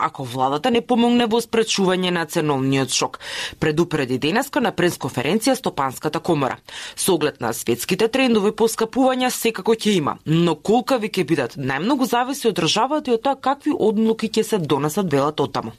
ако владата не помогне во спречување на ценовниот шок, предупреди денеска на пресконференција Стопанската комора. Со оглед на светските трендови поскапувања секако ќе има, но колкави ќе бидат најмногу зависи од државата и од тоа какви одлуки ќе се донесат, велат оттаму.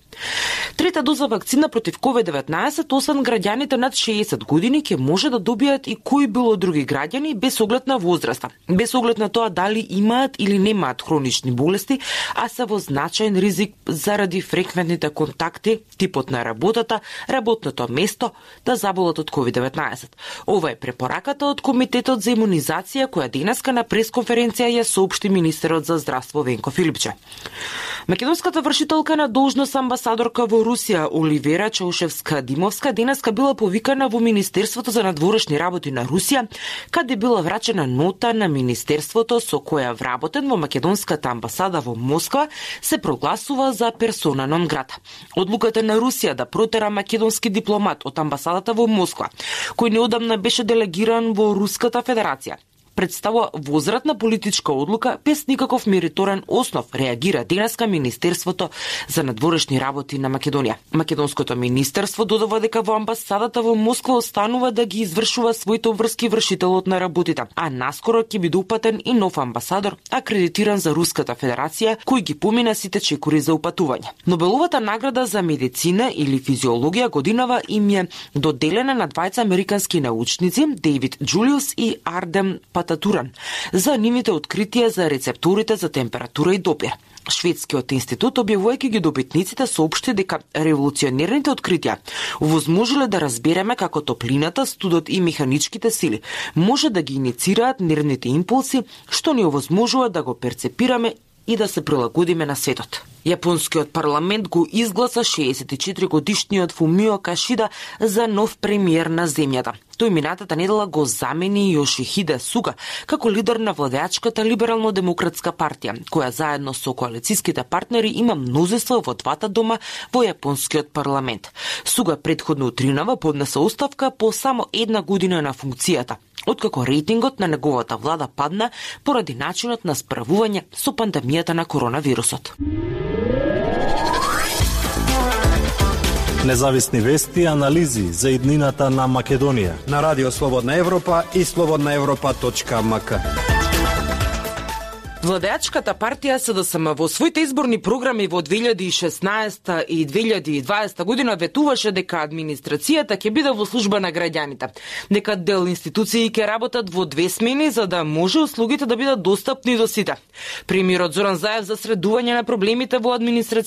Трета доза вакцина против COVID-19, освен граѓаните над 60 години, ќе може да добијат и кои било други граѓани без оглед на возраста, без оглед на тоа дали имаат или немаат хронични болести, а се во значаен ризик заради фреквентните контакти, типот на работата, работното место, да заболат од COVID-19. Ова е препораката од Комитетот за имунизација, која денеска на пресконференција ја соопшти министерот за здравство Венко Филипче. Македонската вршителка на должност амбасадорка во Русија Оливера Чаушевска-Димовска денеска била повикана во Министерството за надворешни работи на Русија, каде била врачена нота на Министерството со која вработен во македонската амбасада во Москва се прогласува за персона нон грата. Одлуката на Русија да протера македонски дипломат од амбасадата во Москва, кој неодамна беше делегиран во Руската Федерација, представува возвратна политичка одлука без никаков мериторен основ, реагира денеска Министерството за надворешни работи на Македонија. Македонското министерство додава дека во амбасадата во Москва останува да ги извршува своите обврски вршителот на работите, а наскоро ќе биде упатен и нов амбасадор, акредитиран за Руската Федерација, кој ги помина сите чекори за упатување. Нобеловата награда за медицина или физиологија годинава им е доделена на двајца американски научници, Дейвид Джулиус и Ардем Пататуран, за нивните откритија за рецепторите за температура и допир. Шведскиот институт, објавувајќи ги добитниците, соопшти дека револуционерните откритија овозможиле да разбереме како топлината, студот и механичките сили може да ги иницираат нервните импулси, што ни овозможува да го перцепираме и да се прилагодиме на светот. Јапонскиот парламент го изгласа 64-годишниот Фумио Кишида за нов премиер на земјата. Тој минатата недела го замени Јошихиде Суга како лидер на владеачката либерално-демократска партија, која заедно со коалицијските партнери има мнозинство во двата дома во јапонскиот парламент. Суга претходно утринава поднесе оставка по само една година на функцијата, откако рейтингот на неговата влада падна поради начинот на справување со пандемијата на коронавирусот. Независни вести и анализи за иднината на Македонија на Радио Слободна Европа и slobodnaevropa.mk. Владеачката партија СДСМ во своите изборни програми во 2016 и 2020 година ветуваше дека администрацијата ќе биде во служба на граѓаните, дека дел институции ќе работат во две смени за да може услугите да бидат достапни до сите. Премиерот Зоран Заев за средување на проблемите во администрацијата